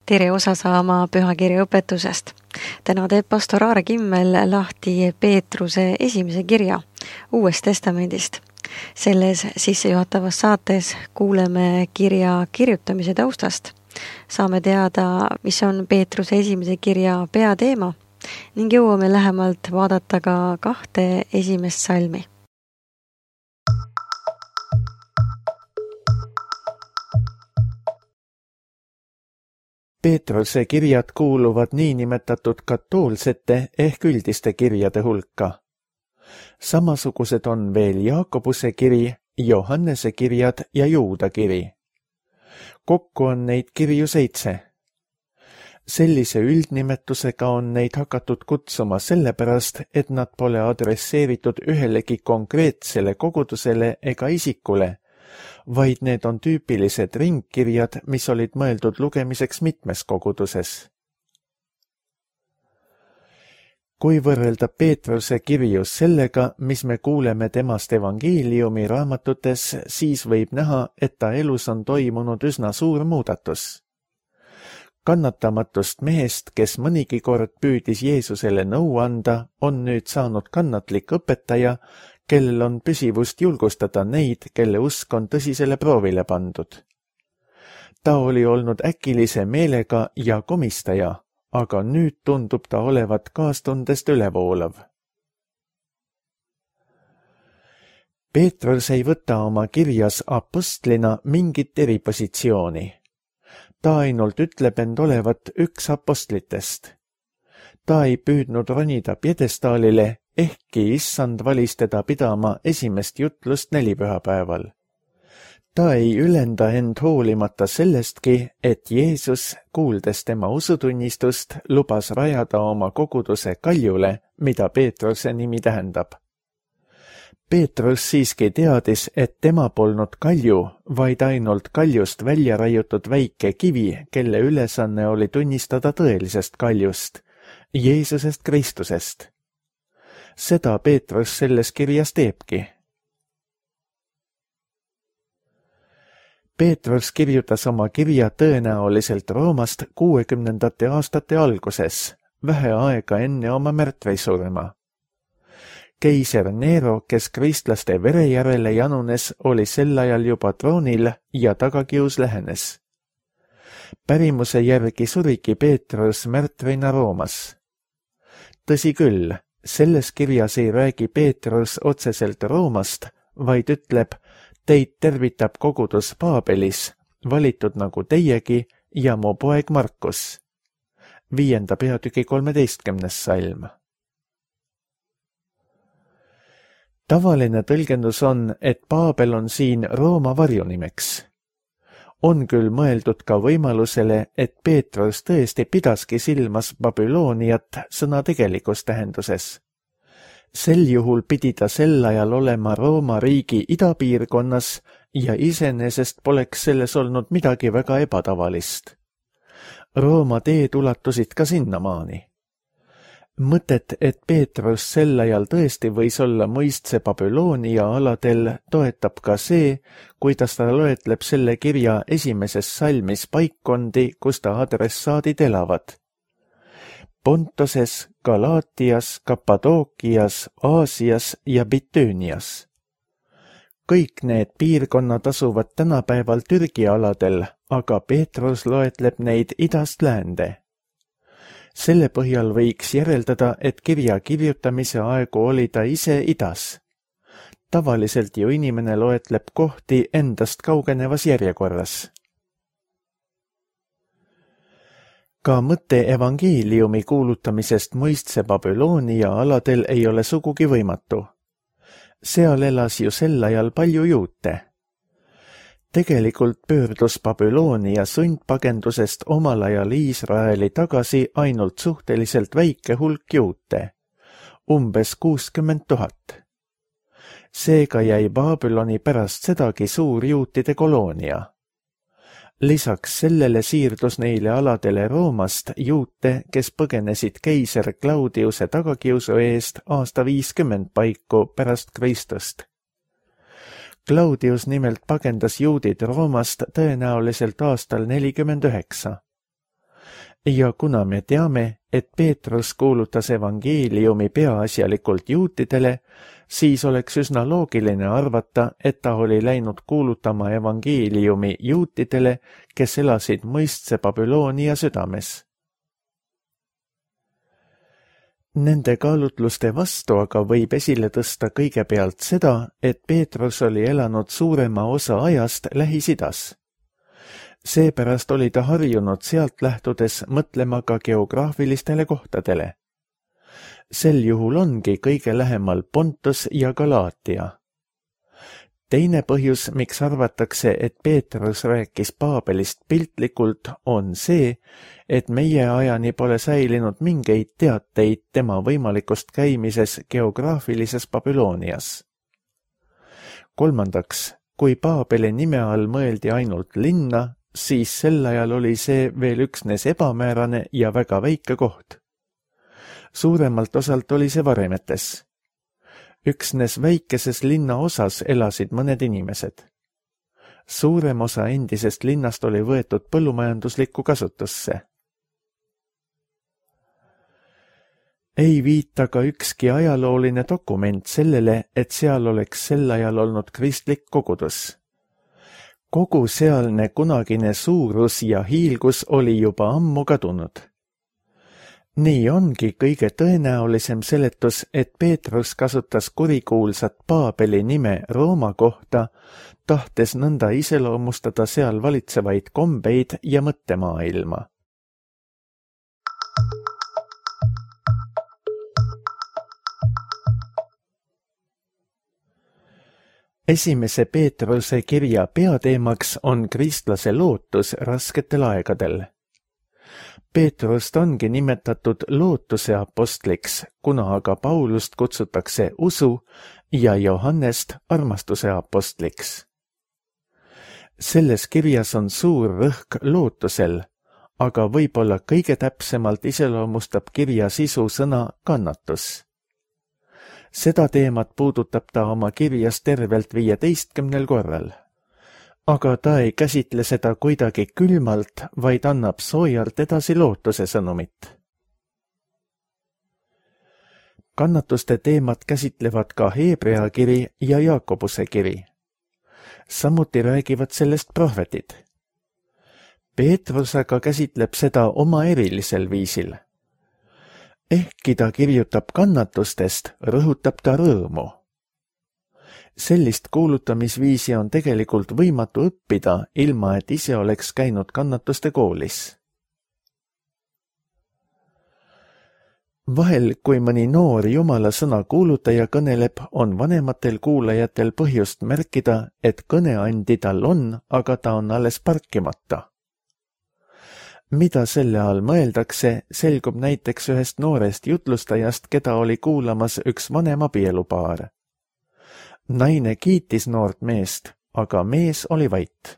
tere osa saama pühakirja õpetusest. Täna teeb pastor Aare Kimmel lahti Peetruse esimese kirja Uuest Testamendist. Selles sissejuhatavas saates kuuleme kirja kirjutamise taustast. Saame teada, mis on Peetruse esimese kirja peateema ning jõuame lähemalt vaadata ka 2 esimest salmi. Peetruse kirjad kuuluvad niinimetatud katoolsete ehk üldiste kirjade hulka. Samasugused on veel Jaakobuse kiri, Johannese kirjad ja Juuda kiri. Kokku on neid kirju 7. Sellise üldnimetusega on neid hakatud kutsuma sellepärast, et nad pole adresseeritud ühelegi konkreetsele kogudusele ega isikule, vaid need on tüüpilised ringkirjad, mis olid mõeldud lugemiseks mitmes koguduses. Kui võrrelda Peetruse kirju sellega, mis me kuuleme temast evangeeliumi raamatutes, siis võib näha, et ta elus on toimunud üsna suur muudatus. Kannatamatust mehest, kes mõnigi kord püüdis Jeesusele nõu anda, on nüüd saanud kannatlik õpetaja, kellel on püsivust julgustada neid, kelle usk on tõsisele proovile pandud. Ta oli olnud äkilise meelega ja komistaja, aga nüüd tundub ta olevat kaastundest ülevoolav. Peetrus ei võta oma kirjas apostlina mingit eripositsiooni. Ta ainult ütleb end olevat üks apostlitest. Ta ei püüdnud ronida pjedestaalile, ehkki issand valis teda pidama esimest jutlust nelipühapäeval. Ta ei ülenda end hoolimata sellestki, et Jeesus, kuuldes tema usutunnistust, lubas rajada oma koguduse kaljule, mida Peetruse nimi tähendab. Peetrus siiski teadis, et tema polnud kalju, vaid ainult kaljust välja raiutud väike kivi, kelle ülesanne oli tunnistada tõelisest kaljust, Jeesusest Kristusest. Seda Peetrus selles kirjas teebki. Peetrus kirjutas oma kirja tõenäoliselt Roomast 60. aastate alguses, vähe aega enne oma märtvisurma. Keiser Nero, kes kristlaste vere järele janunes, oli sel ajal juba troonil ja tagakius lähenes. Pärimuse järgi surigi Peetrus märtvina Roomas. Tõsi küll, selles kirjas ei räägi Peetrus otseselt Roomast, vaid ütleb, teid tervitab kogudus Paabelis, valitud nagu teiegi ja mu poeg Markus. 5. peatüki 13. salm. Tavaline tõlgendus on, et Paabel on siin Rooma varjunimeks. On küll mõeldud ka võimalusele, et Peetrus tõesti pidaski silmas Babyloniat sõna tegelikus tähenduses. Sel juhul pidi ta sel ajal olema Rooma riigi idapiirkonnas ja iseenesest poleks selles olnud midagi väga ebatavalist. Rooma teed ulatusid ka sinnamaani. Mõtet, et Peetrus sel ajal tõesti võis olla mõistse Babylonia aladel, toetab ka see, kuidas ta loetleb selle kirja esimeses salmis paikkondi, kus ta adressaadid elavad. Pontoses, Galaatias, Kappadookias, Aasias ja Bitüünias. Kõik need piirkonnad asuvad tänapäeval Türgi aladel, aga Peetrus loetleb neid idast läände. Selle põhjal võiks järeldada, et kirja kirjutamise aegu oli ta ise idas. Tavaliselt ju inimene loetleb kohti endast kaugenevas järjekorras. Ka mõte evangeeliumi kuulutamisest mõistse Babylonia aladel ei ole sugugi võimatu. Seal elas ju sel ajal palju juute. Tegelikult pöördus Babylonia sundpagendusest omal ajal Iisraeli tagasi ainult suhteliselt väike hulk juute, umbes 60 000. Seega jäi Babyloni pärast sedagi suur juutide koloonia. Lisaks sellele siirdus neile aladele Roomast juute, kes põgenesid keiser Claudiuse tagakiusu eest aasta 50 paiku pärast Kristust. Claudius nimelt pagendas juudid Roomast tõenäoliselt aastal 49. Ja kuna me teame, et Peetrus kuulutas evangeeliumi peaasjalikult juutidele, siis oleks üsna loogiline arvata, et ta oli läinud kuulutama evangeeliumi juutidele, kes elasid mõistse Babyloonia südames. Nende kaalutluste vastu aga võib esile tõsta kõigepealt seda, et Peetrus oli elanud suurema osa ajast Lähis-Idas. Seepärast oli ta harjunud sealt lähtudes mõtlema ka geograafilistele kohtadele. Sel juhul ongi kõige lähemal Pontus ja Galaatia. Teine põhjus, miks arvatakse, et Peetrus rääkis Paabelist piltlikult, on see, et meie ajani pole säilinud mingeid teateid tema võimalikust käimises geograafilises Babylonias. Kolmandaks, kui Paabeli nime all mõeldi ainult linna, siis sel ajal oli see veel üksnes ebamäärane ja väga väike koht. Suuremalt osalt oli see varemetes. Üksnes väikeses linna osas elasid mõned inimesed. Suurem osa endisest linnast oli võetud põllumajanduslikku kasutusse. Ei viita ka ükski ajalooline dokument sellele, et seal oleks sel ajal olnud kristlik kogudus. Kogu sealne kunagine suurus ja hiilgus oli juba ammu kadunud. Nii ongi kõige tõenäolisem seletus, et Peetrus kasutas kurikuulsat Paabeli nime Rooma kohta, tahtes nõnda iseloomustada seal valitsevaid kombeid ja mõttemaailma. Esimese Peetruse kirja peateemaks on kristlase lootus rasketel aegadel. Peetrust ongi nimetatud lootuse apostliks, kuna aga Paulust kutsutakse usu ja Johannest armastuse apostliks. Selles kirjas on suur rõhk lootusel, aga võib-olla kõige täpsemalt iseloomustab kirja sisu sõna kannatus. Seda teemat puudutab ta oma kirjas tervelt 15 korral. Aga ta ei käsitle seda kuidagi külmalt, vaid annab soojalt edasi lootuse sõnumit. Kannatuste teemat käsitlevad ka Hebrea kiri ja Jaakobuse kiri. Samuti räägivad sellest prohvetid. Peetrus aga käsitleb seda oma erilisel viisil. Ehkki ta kirjutab kannatustest, rõhutab ta rõõmu. Sellist kuulutamisviisi on tegelikult võimatu õppida, ilma et ise oleks käinud kannatuste koolis. Vahel, kui mõni noor Jumala sõna kuulutaja kõneleb, on vanematel kuulajatel põhjust märkida, et kõneandi tal on, aga ta on alles parkimata. Mida selle all mõeldakse, selgub näiteks ühest noorest jutlustajast, keda oli kuulamas üks vanem abielupaar. Naine kiitis noort meest, aga mees oli vait.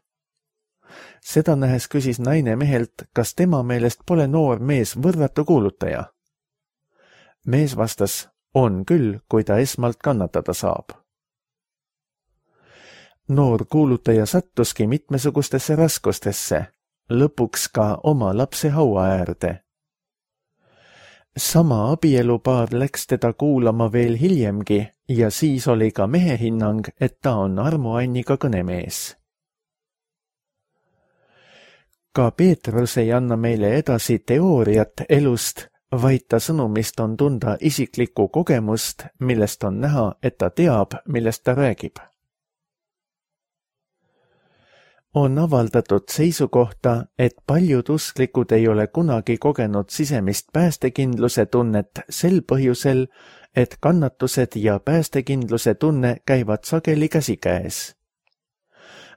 Seda nähes küsis naine mehelt, kas tema meelest pole noor mees võrratu kuulutaja. Mees vastas, on küll, kui ta esmalt kannatada saab. Noor kuulutaja sattuski mitmesugustesse raskustesse, lõpuks ka oma lapse haua äärde. Sama abielupaar läks teda kuulama veel hiljemgi ja siis oli ka mehe hinnang, et ta on armuanniga kõnemees. Ka Peetrus ei anna meile edasi teooriat elust, vaid ta sõnumist on tunda isiklikku kogemust, millest on näha, et ta teab, millest ta räägib. On avaldatud seisukohta, et paljud usklikud ei ole kunagi kogenud sisemist päästekindluse tunnet sel põhjusel, et kannatused ja päästekindluse tunne käivad sageli käsikäes.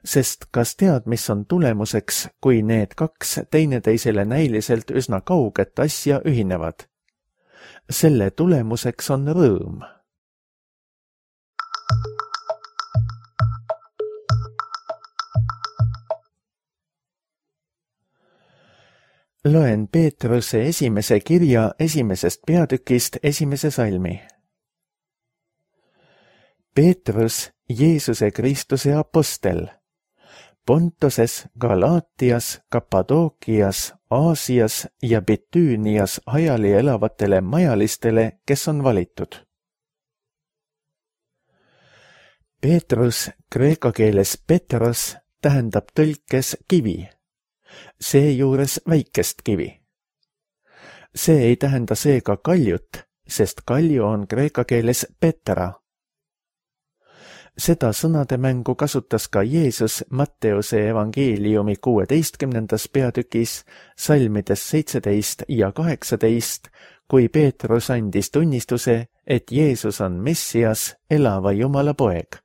Sest kas tead, mis on tulemuseks, kui need kaks teineteisele näiliselt üsna kauget asja ühinevad? Selle tulemuseks on rõõm. Loen Peetruse esimese kirja esimesest peatükist esimese salmi. Peetrus, Jeesuse Kristuse apostel, Pontoses, Galaatias, Kappadookias, Aasias ja Bitüünias hajali elavatele majalistele, kes on valitud. Peetrus, kreeka keeles Petros, tähendab tõlkes kivi, seejuures väikest kivi. See ei tähenda seega kaljut, sest kalju on kreeka keeles Petra. Seda sõnademängu kasutas ka Jeesus Matteuse evangeeliumi 16. peatükis, salmides 17 ja 18, kui Peetrus andis tunnistuse, et Jeesus on Messias, elava Jumala poeg.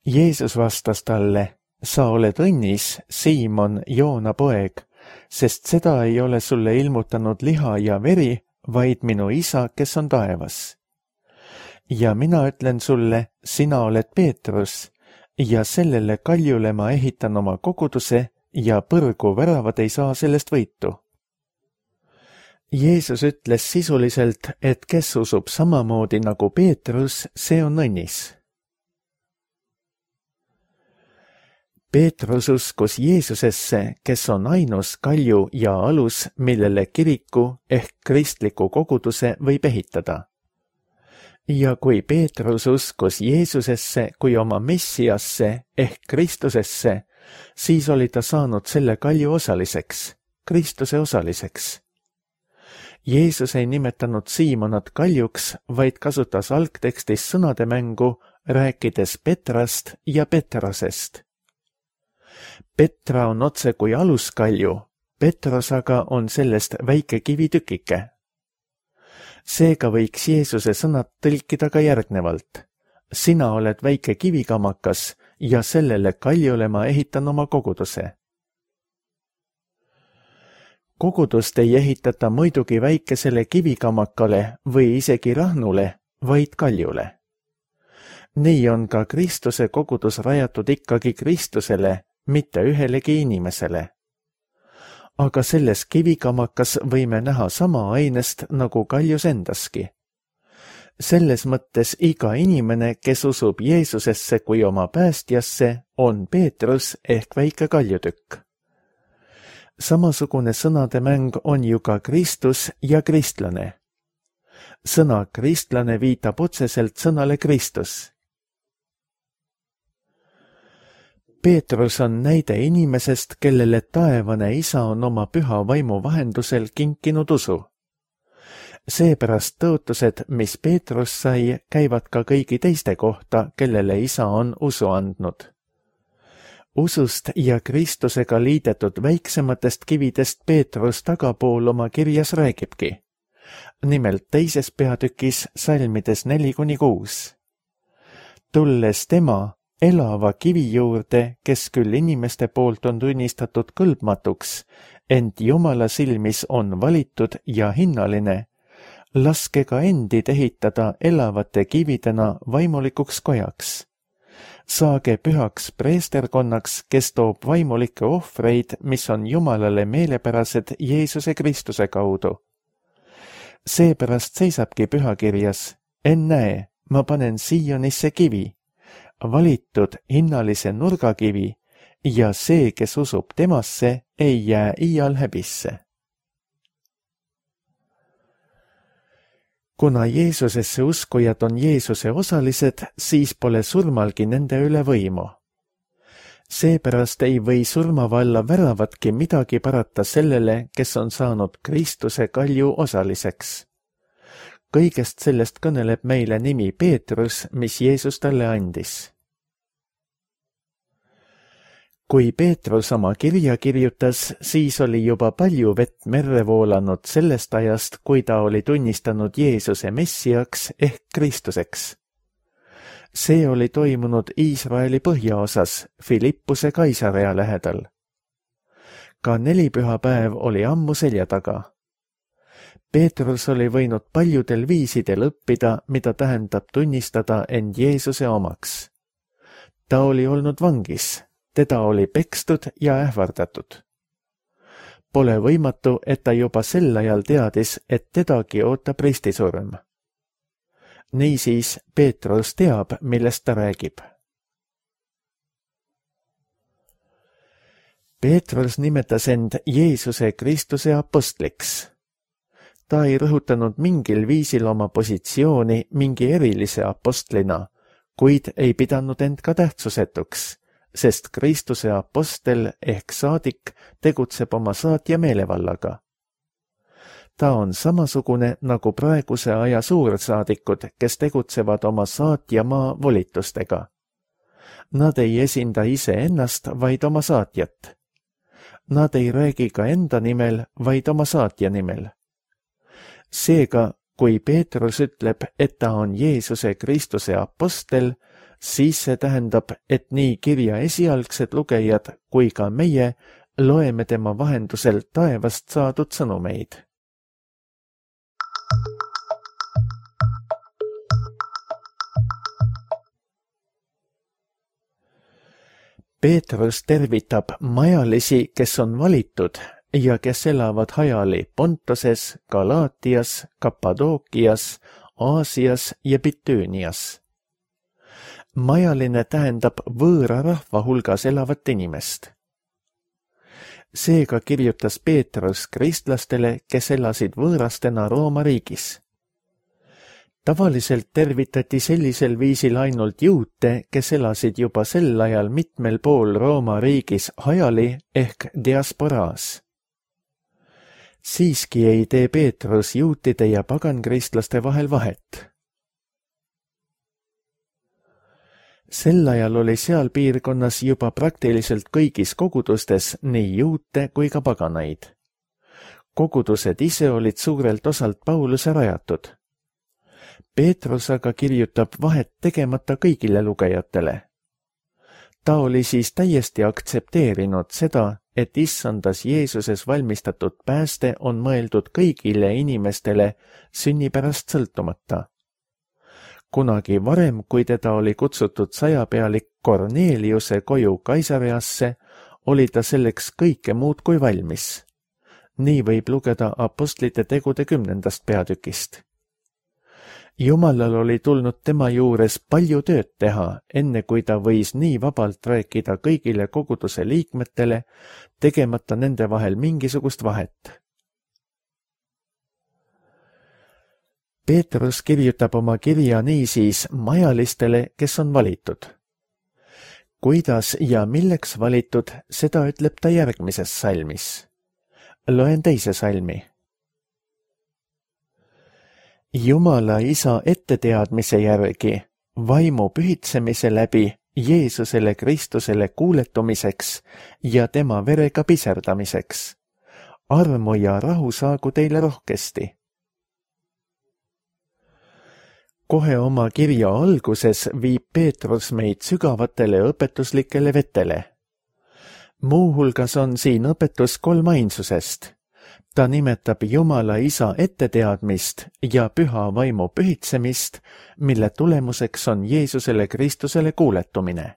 Jeesus vastas talle, sa oled õnnis, Siimon, Joona poeg, sest seda ei ole sulle ilmutanud liha ja veri, vaid minu isa, kes on taevas. Ja mina ütlen sulle, sina oled Peetrus, ja sellele kaljule ma ehitan oma koguduse ja põrgu väravad ei saa sellest võitu. Jeesus ütles sisuliselt, et kes usub samamoodi nagu Peetrus, see on õnnis. Peetrus uskus Jeesusesse, kes on ainus kalju ja alus, millele kiriku ehk kristliku koguduse võib ehitada. Ja kui Peetrus uskus Jeesusesse kui oma Messiasse ehk Kristusesse, siis oli ta saanud selle kalju osaliseks, Kristuse osaliseks. Jeesus ei nimetanud Siimonat kaljuks, vaid kasutas algtekstis sõnademängu, rääkides Petrast ja Petrosest. Petra on otse kui aluskalju, Petros aga on sellest väike kivitükike. Seega võiks Jeesuse sõnad tõlkida ka järgnevalt. Sina oled väike kivikamakas ja sellele kaljule ma ehitan oma koguduse. Kogudust ei ehitata muidugi väikesele kivikamakale või isegi rahnule, vaid kaljule. Nii on ka Kristuse kogudus rajatud ikkagi Kristusele, mitte ühelegi inimesele. Aga selles kivikamakas võime näha sama ainest nagu kaljus endaski. Selles mõttes iga inimene, kes usub Jeesusesse kui oma päästjasse, on Peetrus ehk väike kaljutükk. Samasugune sõnademäng on ju ka Kristus ja kristlane. Sõna kristlane viitab otseselt sõnale Kristus. Peetrus on näide inimesest, kellele taevane isa on oma püha vaimu vahendusel kinkinud usu. Seepärast tõotused, mis Peetrus sai, käivad ka kõigi teiste kohta, kellele isa on usu andnud. Usust ja Kristusega liidetud väiksematest kividest Peetrus tagapool oma kirjas räägibki. Nimelt 2. peatükis salmides 4-6. Tulles tema, elava kivi juurde, kes küll inimeste poolt on tunnistatud kõlbmatuks, ent Jumala silmis on valitud ja hinnaline, laske ka endid ehitada elavate kividena vaimulikuks kojaks. Saage pühaks preesterkonnaks, kes toob vaimulikke ohvreid, mis on Jumalale meelepärased Jeesuse Kristuse kaudu. Seepärast seisabki pühakirjas, ennäe, ma panen Siionisse kivi, valitud hinnalise nurgakivi, ja see, kes usub temasse, ei jää iial häbisse. Kuna Jeesusesse uskujad on Jeesuse osalised, siis pole surmalgi nende üle võimu. Seepärast ei või surmavalla väravatki midagi parata sellele, kes on saanud Kristuse kalju osaliseks. Kõigest sellest kõneleb meile nimi Peetrus, mis Jeesus talle andis. Kui Peetrus oma kirja kirjutas, siis oli juba palju vett merre voolanud sellest ajast, kui ta oli tunnistanud Jeesuse Messiaks ehk Kristuseks. See oli toimunud Iisraeli põhjaosas, Filippuse Kaisarea lähedal. Ka nelipühapäev oli ammu selja taga. Peetrus oli võinud paljudel viisidel õppida, mida tähendab tunnistada end Jeesuse omaks. Ta oli olnud vangis, teda oli pekstud ja ähvardatud. Pole võimatu, et ta juba sel ajal teadis, et tedagi ootab ristisurm. Niisiis Peetrus teab, millest ta räägib. Peetrus nimetas end Jeesuse Kristuse apostliks. Ta ei rõhutanud mingil viisil oma positsiooni mingi erilise apostlina, kuid ei pidanud end ka tähtsusetuks, sest Kristuse apostel ehk saadik tegutseb oma saatja meelevallaga. Ta on samasugune nagu praeguse aja suursaadikud, kes tegutsevad oma saatjamaa volitustega. Nad ei esinda iseennast, vaid oma saatjat. Nad ei räägi ka enda nimel, vaid oma saatja nimel. Seega, kui Peetrus ütleb, et ta on Jeesuse Kristuse apostel, siis see tähendab, et nii kirja esialgsed lugejad kui ka meie loeme tema vahendusel taevast saadud sõnumeid. Peetrus tervitab majalisi, kes on valitud ja kes elavad hajali Pontoses, Galaatias, Kappadookias, Aasias ja Bitüünias. Majaline tähendab võõra rahva hulgas elavat inimest. Seega kirjutas Peetrus kristlastele, kes elasid võõrastena Rooma riigis. Tavaliselt tervitati sellisel viisil ainult juute, kes elasid juba sel ajal mitmel pool Rooma riigis hajali ehk diasporaas. Siiski ei tee Peetrus juutide ja pagankristlaste vahel vahet. Sel ajal oli seal piirkonnas juba praktiliselt kõigis kogudustes nii juute kui ka paganaid. Kogudused ise olid suurelt osalt Pauluse rajatud. Peetrus aga kirjutab vahet tegemata kõigile lugejatele. Ta oli siis täiesti aktsepteerinud seda, et issandas Jeesuses valmistatud pääste on mõeldud kõigile inimestele sünnipärast sõltumata. Kunagi varem, kui teda oli kutsutud sajapealik Korneliuse koju Kaisareasse, oli ta selleks kõike muud kui valmis. Nii võib lugeda apostlite tegude 10. peatükist. Jumalal oli tulnud tema juures palju tööd teha, enne kui ta võis nii vabalt rääkida kõigile koguduse liikmetele, tegemata nende vahel mingisugust vahet. Peetrus kirjutab oma kirja niisiis majalistele, kes on valitud. Kuidas ja milleks valitud, seda ütleb ta järgmises salmis. Loen teise salmi. Jumala Isa etteteadmise järgi, vaimu pühitsemise läbi Jeesusele Kristusele kuuletumiseks ja tema verega piserdamiseks. Armu ja rahu saagu teile rohkesti. Kohe oma kirja alguses viib Peetrus meid sügavatele õpetuslikele vetele. Muuhulgas on siin õpetus kolmainsusest. Ta nimetab Jumala Isa etteteadmist ja püha vaimu pühitsemist, mille tulemuseks on Jeesusele Kristusele kuuletumine.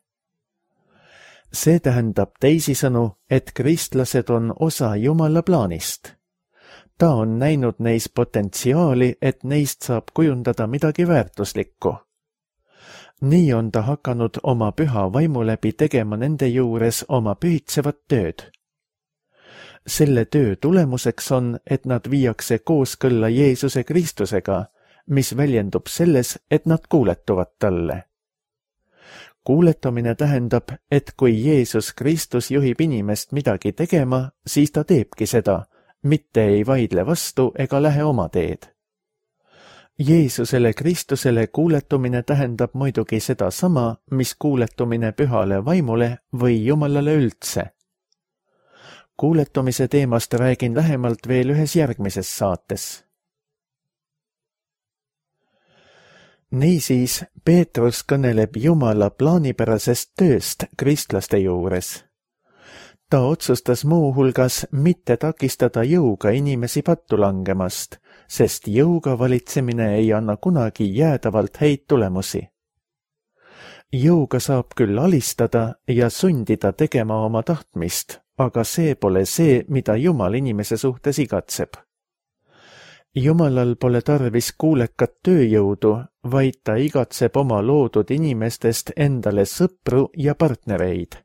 See tähendab teisisõnu, et kristlased on osa Jumala plaanist. Ta on näinud neis potentsiaali, et neist saab kujundada midagi väärtuslikku. Nii on ta hakanud oma püha vaimu läbi tegema nende juures oma pühitsevat tööd. Selle töö tulemuseks on, et nad viiakse kooskõlla Jeesuse Kristusega, mis väljendub selles, et nad kuuletuvad talle. Kuuletumine tähendab, et kui Jeesus Kristus juhib inimest midagi tegema, siis ta teebki seda, mitte ei vaidle vastu ega lähe oma teed. Jeesusele Kristusele kuuletumine tähendab muidugi seda sama, mis kuuletumine pühale vaimule või Jumalale üldse. Kuuletumise teemast räägin lähemalt veel ühes järgmises saates. Niisiis, Peetrus kõneleb Jumala plaanipärasest tööst kristlaste juures. Ta otsustas muuhulgas mitte takistada jõuga inimesi pattu langemast, sest jõuga valitsemine ei anna kunagi jäädavalt häid tulemusi. Jõuga saab küll alistada ja sundida tegema oma tahtmist, aga see pole see, mida Jumal inimese suhtes igatseb. Jumalal pole tarvis kuulekat tööjõudu, vaid ta igatseb oma loodud inimestest endale sõpru ja partnereid.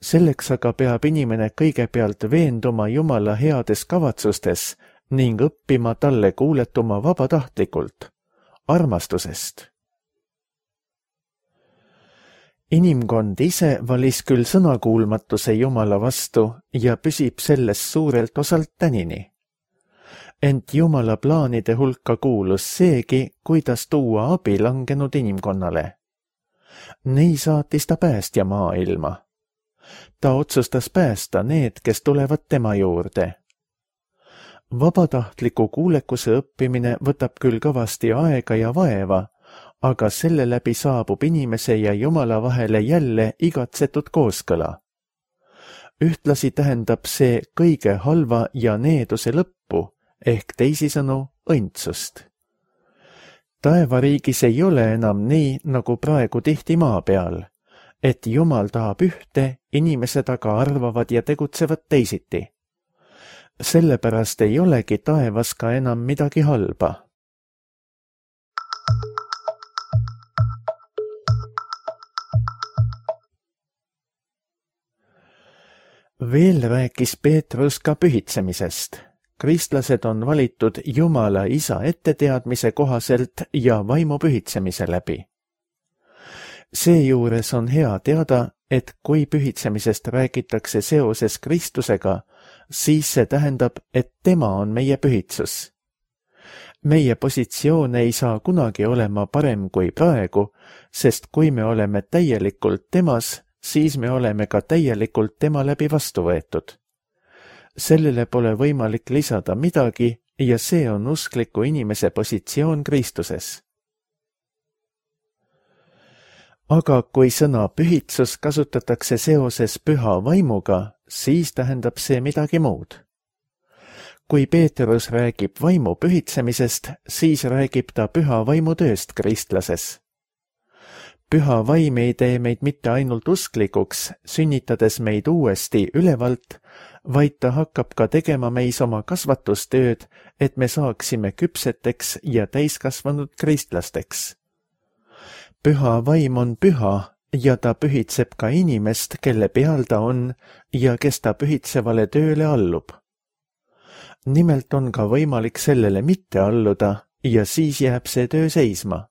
Selleks aga peab inimene kõigepealt veenduma Jumala heades kavatsustes ning õppima talle kuuletuma vabatahtlikult, armastusest. Inimkond ise valis küll sõnakuulmatuse Jumala vastu ja püsib sellest suurelt osalt tänini. Ent Jumala plaanide hulka kuulus seegi, kuidas tuua abi langenud inimkonnale. Nii saatis ta päästja maailma. Ta otsustas päästa need, kes tulevad tema juurde. Vabatahtliku kuulekuse õppimine võtab küll kõvasti aega ja vaeva, aga selle läbi saabub inimese ja Jumala vahele jälle igatsetud kooskõla. Ühtlasi tähendab see kõige halva ja needuse lõppu, ehk teisisõnu õndsust. Taevariigis ei ole enam nii, nagu praegu tihti maa peal, et Jumal tahab ühte, inimesed aga arvavad ja tegutsevad teisiti. Sellepärast ei olegi taevas ka enam midagi halba. Veel rääkis Peetrus ka pühitsemisest. Kristlased on valitud Jumala Isa etteteadmise kohaselt ja vaimu pühitsemise läbi. Seejuures on hea teada, et kui pühitsemisest räägitakse seoses Kristusega, siis see tähendab, et tema on meie pühitsus. Meie positsioon ei saa kunagi olema parem kui praegu, sest kui me oleme täielikult temas, siis me oleme ka täielikult tema läbi vastu võetud. Sellele pole võimalik lisada midagi ja see on uskliku inimese positsioon Kristuses. Aga kui sõna pühitsus kasutatakse seoses püha vaimuga, siis tähendab see midagi muud. Kui Peetrus räägib vaimu pühitsemisest, siis räägib ta püha vaimu tööst kristlases. Püha vaim ei tee meid mitte ainult usklikuks, sünnitades meid uuesti ülevalt, vaid ta hakkab ka tegema meis oma kasvatustööd, et me saaksime küpseteks ja täiskasvanud kristlasteks. Püha vaim on püha ja ta pühitseb ka inimest, kelle peal ta on ja kes ta pühitsevale tööle allub. Nimelt on ka võimalik sellele mitte alluda ja siis jääb see töö seisma.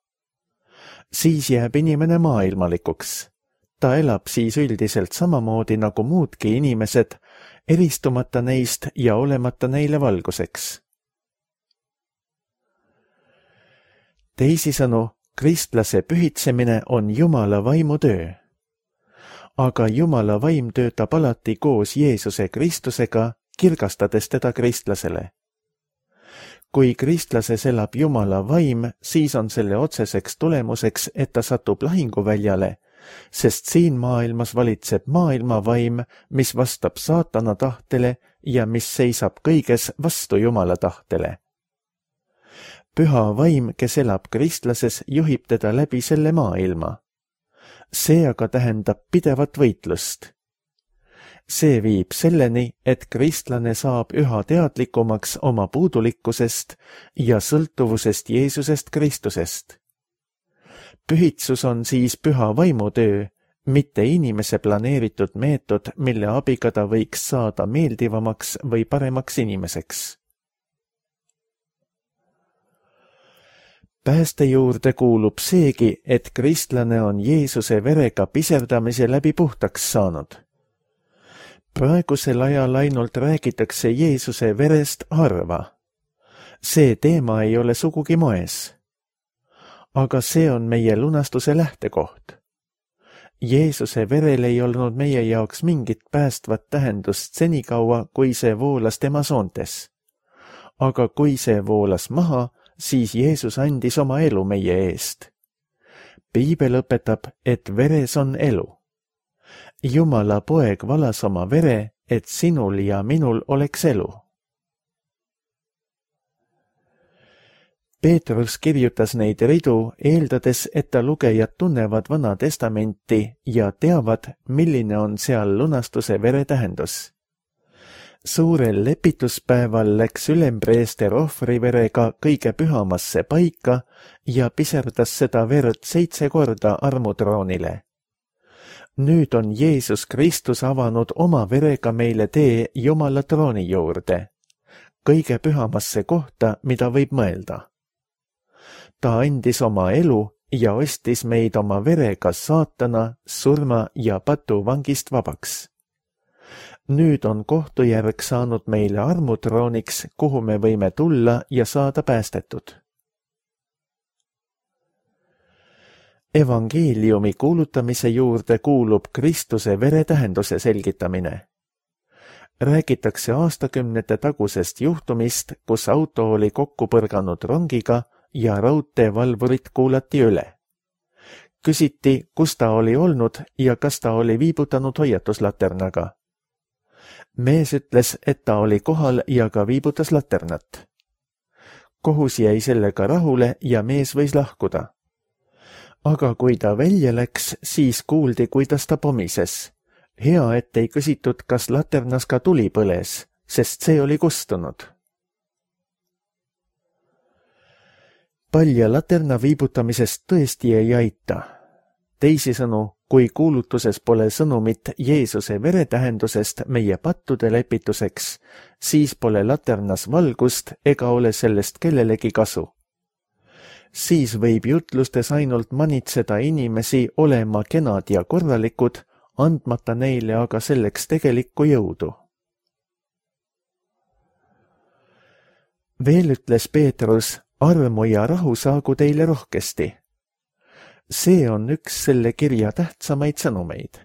Siis jääb inimene maailmalikuks. Ta elab siis üldiselt samamoodi nagu muudki inimesed, eristumata neist ja olemata neile valguseks. Teisisõnu, kristlase pühitsemine on Jumala vaimu töö. Aga Jumala vaim töötab alati koos Jeesuse Kristusega, kirgastades teda kristlasele. Kui kristlases elab Jumala vaim, siis on selle otseseks tulemuseks, et ta satub lahinguväljale, sest siin maailmas valitseb maailma vaim, mis vastab saatana tahtele ja mis seisab kõiges vastu Jumala tahtele. Püha vaim, kes elab kristlases, juhib teda läbi selle maailma. See aga tähendab pidevat võitlust. See viib selleni, et kristlane saab üha teadlikumaks oma puudulikkusest ja sõltuvusest Jeesusest Kristusest. Pühitsus on siis püha vaimutöö, mitte inimese planeeritud meetod, mille abiga ta võiks saada meeldivamaks või paremaks inimeseks. Pääste juurde kuulub seegi, et kristlane on Jeesuse verega piserdamise läbi puhtaks saanud. Praegusel ajal ainult räägitakse Jeesuse verest harva. See teema ei ole sugugi moes. Aga see on meie lunastuse lähtekoht. Jeesuse verel ei olnud meie jaoks mingit päästvat tähendust senikaua, kui see voolas tema soontes. Aga kui see voolas maha, siis Jeesus andis oma elu meie eest. Piibel õpetab, et veres on elu. Jumala poeg valas oma vere, et sinul ja minul oleks elu. Peetrus kirjutas neid ridu, eeldades, et ta lugejad tunnevad Vana Testamenti ja teavad, milline on seal lunastuse vere tähendus. Suurel lepituspäeval läks ülempreester ohvriverega kõige pühamasse paika ja piserdas seda verd 7 korda armutroonile. Nüüd on Jeesus Kristus avanud oma verega meile tee Jumala trooni juurde, kõige pühamasse kohta, mida võib mõelda. Ta andis oma elu ja ostis meid oma verega saatana, surma ja patuvangist vabaks. Nüüd on kohtujärg saanud meile armutrooniks, kuhu me võime tulla ja saada päästetud. Evangeeliumi kuulutamise juurde kuulub Kristuse vere tähenduse selgitamine. Räägitakse aastakümnete tagusest juhtumist, kus auto oli kokku põrganud rongiga ja raudteevalvurit kuulati üle. Küsiti, kus ta oli olnud ja kas ta oli viibutanud hoiatuslaternaga. Mees ütles, et ta oli kohal ja ka viibutas laternat. Kohus jäi sellega rahule ja mees võis lahkuda. Aga kui ta välja läks, siis kuuldi, kuidas ta pomises. Hea, et ei küsitud, kas laternas ka tuli põles, sest see oli kustunud. Palja laterna viibutamisest tõesti ei aita. Teisisõnu, kui kuulutuses pole sõnumit Jeesuse vere tähendusest meie pattude lepituseks, siis pole laternas valgust ega ole sellest kellelegi kasu. Siis võib jutlustes ainult manitseda inimesi olema kenad ja korralikud, andmata neile aga selleks tegelikku jõudu. Veel ütles Peetrus, armu ja rahu saagu teile rohkesti. See on üks selle kirja tähtsamaid sõnumeid.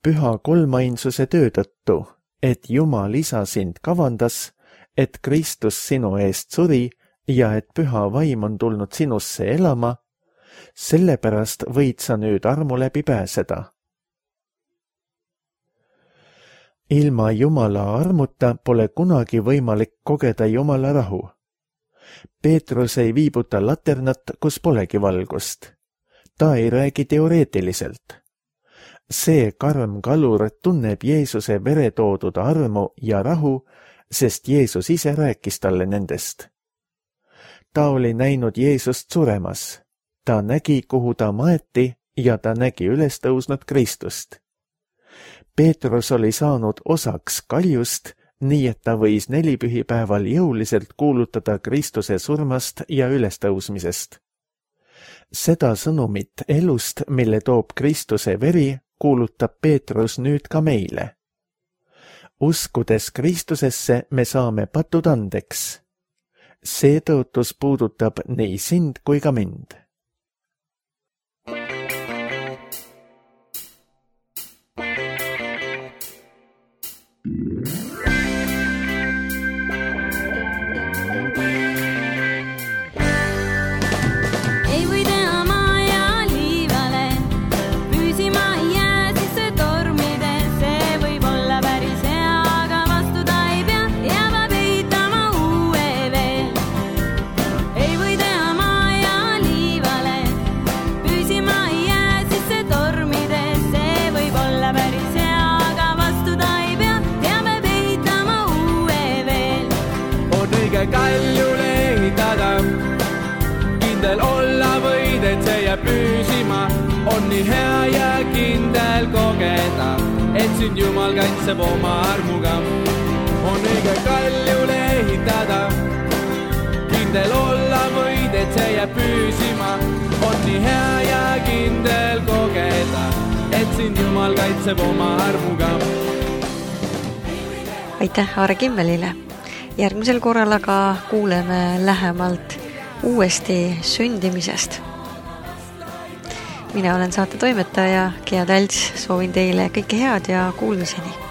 Püha kolmainsuse töö tõttu, et Jumal isa sind kavandas, et Kristus sinu eest suri ja et püha vaim on tulnud sinusse elama, sellepärast võid sa nüüd armu läbi pääseda. Ilma Jumala armuta pole kunagi võimalik kogeda Jumala rahu. Peetrus ei viibuta laternat, kus polegi valgust. Ta ei räägi teoreetiliselt. See karm kalur tunneb Jeesuse vere toodud armu ja rahu, sest Jeesus ise rääkis talle nendest. Ta oli näinud Jeesust suremas. Ta nägi, kuhu ta maeti ja ta nägi üles tõusnud Kristust. Peetrus oli saanud osaks kaljust, nii et ta võis nelipühipäeval jõuliselt kuulutada Kristuse surmast ja ülestõusmisest. Seda sõnumit elust, mille toob Kristuse veri, kuulutab Peetrus nüüd ka meile. Uskudes Kristusesse me saame patud andeks. See tõotus puudutab nii sind kui ka mind. Kaljule ehitada, kindel olla võid, et see jääb püsima. On nii hea ja kindel kogeda, et sind Jumal kaitseb oma armuga. On õige kaljule ehitada, kindel olla võid, et see jääb püsima. On nii hea ja kindel kogeda, et sind Jumal kaitseb oma armuga. Aitäh Aare Kimmelile! Järgmisel korral aga kuuleme lähemalt uuesti sündimisest. Mina olen saate toimetaja Gea Talts, soovin teile kõike head ja kuulmiseni!